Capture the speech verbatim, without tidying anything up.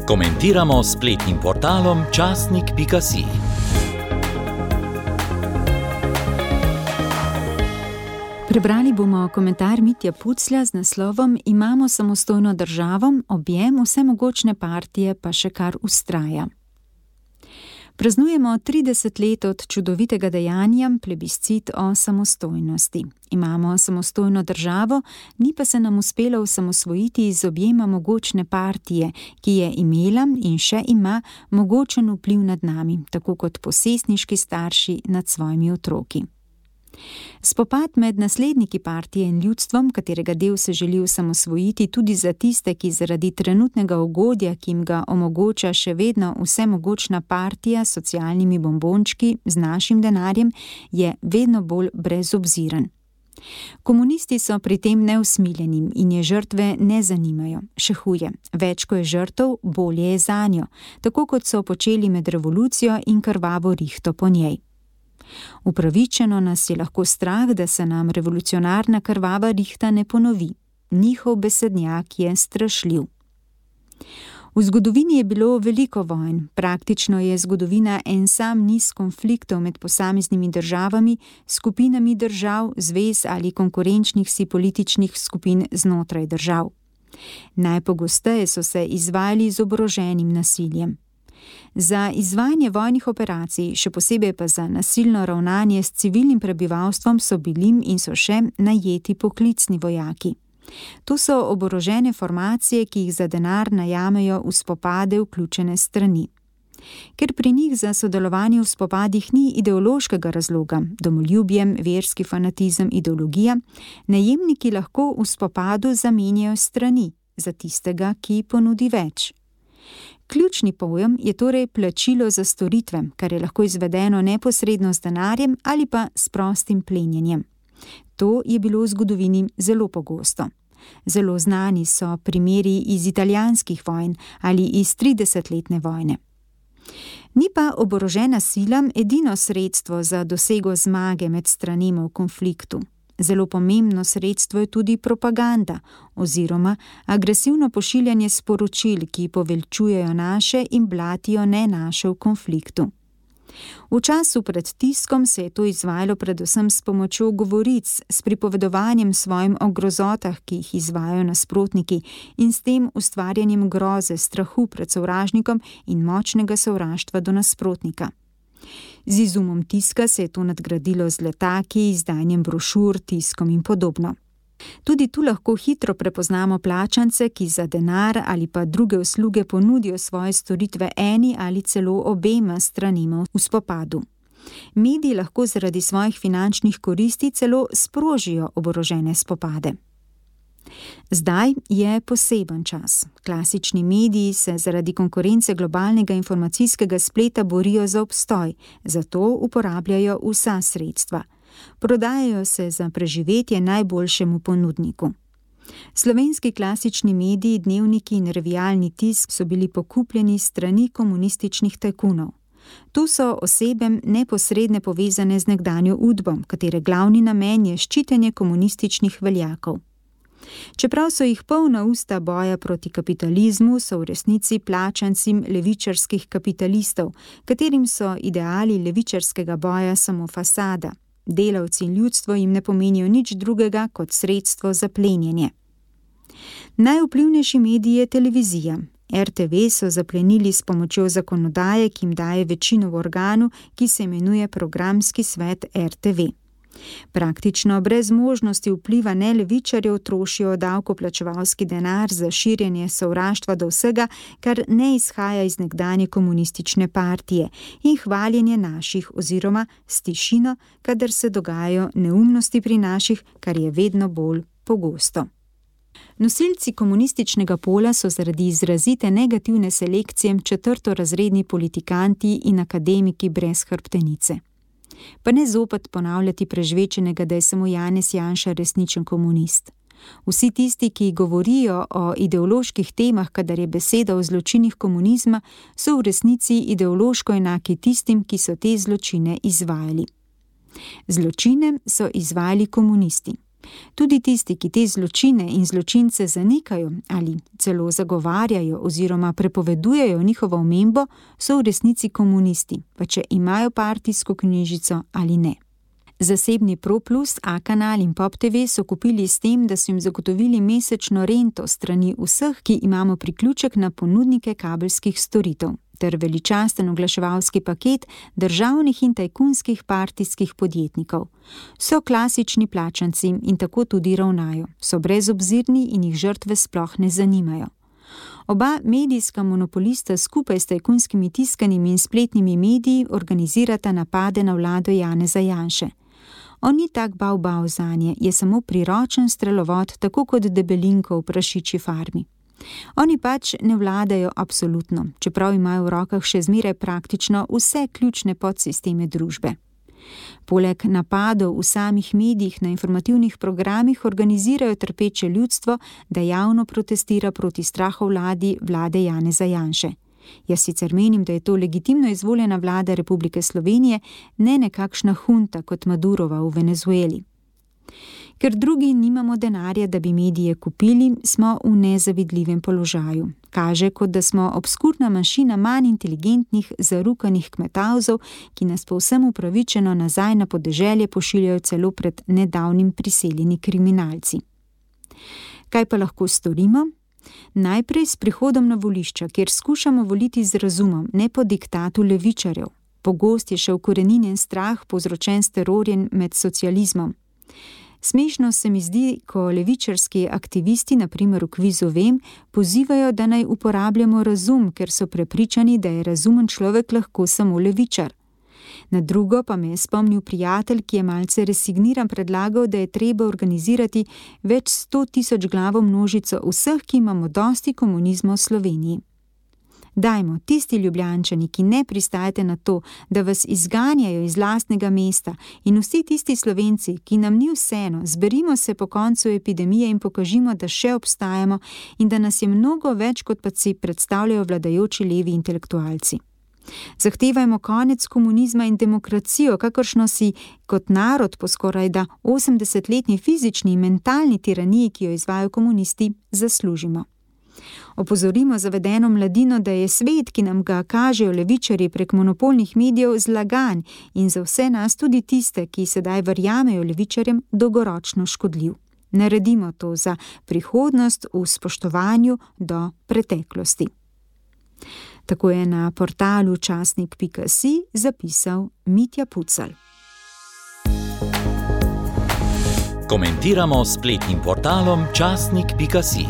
Komentiramo s spletnim portalom časnik pika si. Prebrali bomo komentar Mitja Puclja z naslovom Imamo samostojno državo, objem vsemogočne partije pa še kar vztraja. Praznujemo trideset let od čudovitega dejanja, plebiscit o samostojnosti. Imamo samostojno državo, ni pa se nam uspelo osamosvojiti iz objema mogočne partije, ki je imela in še ima mogočen vpliv nad nami, tako kot posestniški starši nad svojimi otroki. Spopad med nasledniki partije in ljudstvom, katerega del se želi osamosvojiti tudi za tiste, ki zaradi trenutnega ugodja, ki jim ga omogoča še vedno vsemogočna partija s socialnimi bombončki z našim denarjem, je vedno bolj brezobziren. Komunisti so pri tem neusmiljeni in je žrtve ne zanimajo. Še huje, več ko je žrtev, bolje je zanjo, tako kot so počeli med revolucijo in krvavo rihto po njej. Upravičeno nas je lahko strah, da se nam revolucionarna krvava rihta ne ponovi. Njihov besednjak je strašljiv. V zgodovini je bilo veliko vojn, praktično je zgodovina en sam niz konfliktov med posameznimi državami, skupinami držav, zvez ali konkurenčnih si političnih skupin znotraj držav. Najpogosteje so se izvajali z oboroženim nasiljem. Za izvajanje vojnih operacij, še posebej pa za nasilno ravnanje s civilnim prebivalstvom so bili in so še najeti poklicni vojaki. To so oborožene formacije, ki jih za denar najamejo v spopade vključene strani. Ker pri njih za sodelovanje v spopadih ni ideološkega razloga, domoljubjem, verski fanatizem, ideologija, najemniki lahko v spopadu zamenjajo strani za tistega, ki ponudi več. Ključni pojem je torej plačilo za storitve, kar je lahko izvedeno neposredno z denarjem ali pa s prostim plenjenjem. To je bilo v zgodovini zelo pogosto. Zelo znani so primeri iz italijanskih vojn ali iz tridesetletne vojne. Ni pa oborožena sila edino sredstvo za dosego zmage med stranima v konfliktu. Zelo pomembno sredstvo je tudi propaganda oziroma agresivno pošiljanje sporočil, ki poveličujejo naše in blatijo ne naše v konfliktu. V času pred tiskom se je to izvajalo predvsem s pomočjo govoric, s pripovedovanjem svojim o grozotah, ki jih izvajajo nasprotniki, in s tem ustvarjanjem groze, strahu pred sovražnikom in močnega sovraštva do nasprotnika. Z izumom tiska se je to nadgradilo z letaki, izdajanjem brošur, tiskom in podobno. Tudi tu lahko hitro prepoznamo plačance, ki za denar ali pa druge usluge ponudijo svoje storitve eni ali celo obema stranima v spopadu. Mediji lahko zaradi svojih finančnih koristi celo sprožijo oborožene spopade. Zdaj je poseben čas. Klasični mediji se zaradi konkurence globalnega informacijskega spleta borijo za obstoj, zato uporabljajo vsa sredstva. Prodajajo se za preživetje najboljšemu ponudniku. Slovenski klasični mediji, dnevniki in revijalni tisk so bili pokupljeni strani komunističnih tajkunov. Tu so osebem neposredne povezane z nekdanjo udbo, katere glavni namen je ščitenje komunističnih veljakov. Čeprav so jih polna usta boja proti kapitalizmu, so v resnici plačancim levičarskih kapitalistov, katerim so ideali levičarskega boja samo fasada. Delavci in ljudstvo jim ne pomenijo nič drugega kot sredstvo za plenjenje. Najvplivnejši medij je televizija. er te ve so zaplenili s pomočjo zakonodaje, ki jim daje večino v organu, ki se imenuje Programski svet er te ve. Praktično brez možnosti vpliva nelevičarjev trošijo davkoplačevalski denar za širjenje sovraštva do vsega, kar ne izhaja iz nekdanje komunistične partije, in hvaljenje naših oziroma s tišino, kadar se dogajajo neumnosti pri naših, kar je vedno bolj pogosto. Nosilci komunističnega pola so zaradi izrazite negativne selekcije četrtorazredni politikanti in akademiki brez hrbtenice. Pa ne zopet ponavljati prežvečenega, da je samo Janez Janša resničen komunist. Vsi tisti, ki govorijo o ideoloških temah, kadar je beseda o zločinih komunizma, so v resnici ideološko enaki tistim, ki so te zločine izvajali. Zločine so izvajali komunisti. Tudi tisti, ki te zločine in zločince zanikajo ali celo zagovarjajo oziroma prepovedujejo njihovo omembo, so v resnici komunisti, pa če imajo partijsko knjižico ali ne. Zasebni ProPlus, A-kanal in Pop T V so kupili s tem, da so jim zagotovili mesečno rento strani vseh, ki imamo priključek na ponudnike kabelskih storitev, ter veličasten oglaševalski paket državnih in tajkunskih partijskih podjetnikov. So klasični plačanci in tako tudi ravnajo, so brezobzirni in jih žrtve sploh ne zanimajo. Oba medijska monopolista skupaj s tajkunskimi tiskanimi in spletnimi mediji organizirata napade na vlado Janeza Janše. On ni tak bav-bav zanje, je samo priročen strelovod, tako kot debelinko v prašičji farmi. Oni pač ne vladajo absolutno, čeprav imajo v rokah še zmeraj praktično vse ključne podsisteme družbe. Poleg napadov v samih medijih na informativnih programih organizirajo trpeče ljudstvo, da javno protestira proti strahovladi vlade Janeza Janše. Jaz sicer menim, da je to legitimno izvoljena vlada Republike Slovenije, ne nekakšna hunta kot Madurova v Venezueli. Ker drugi nimamo denarja, da bi medije kupili, smo v nezavidljivem položaju. Kaže, kot da smo obskurna mašina manj inteligentnih, zarukanih kmetavzov, ki nas povsem upravičeno nazaj na podeželje pošiljajo celo pred nedavnim priseljeni kriminalci. Kaj pa lahko storimo? Najprej s prihodom na volišča, kjer skušamo voliti z razumom, ne po diktatu levičarjev. Pogost je še ukoreninjen strah, povzročen s terorjem med socializmom. Smešno se mi zdi, ko levičarski aktivisti, na primer v kvizu Vem, pozivajo, da naj uporabljamo razum, ker so prepričani, da je razumen človek lahko samo levičar. Na drugo pa me je spomnil prijatelj, ki je malce resigniran predlagal, da je treba organizirati več sto tisoč glavo množico vseh, ki imamo dosti komunizma v Sloveniji. Dajmo, tisti Ljubljančani, ki ne pristajate na to, da vas izganjajo iz lastnega mesta, in vsi tisti Slovenci, ki nam ni vseeno, zberimo se po koncu epidemije in pokažimo, da še obstajamo in da nas je mnogo več, kot pa si predstavljajo vladajoči levi intelektualci. Zahtevajmo konec komunizma in demokracijo, kakršno si kot narod po skorajda osemdesetletni fizični in mentalni tiraniji, ki jo izvajajo komunisti, zaslužimo. Opozorimo zavedeno mladino, da je svet, ki nam ga kažejo levičarji prek monopolnih medijev, zlagan in za vse nas, tudi tiste, ki sedaj verjamejo levičarjem, dolgoročno škodljiv. Naredimo to za prihodnost v spoštovanju do preteklosti. Tako je na portalu časnik pika si zapisal Mitja Pucelj. Komentiramo s spletnim portalom časnik pika si.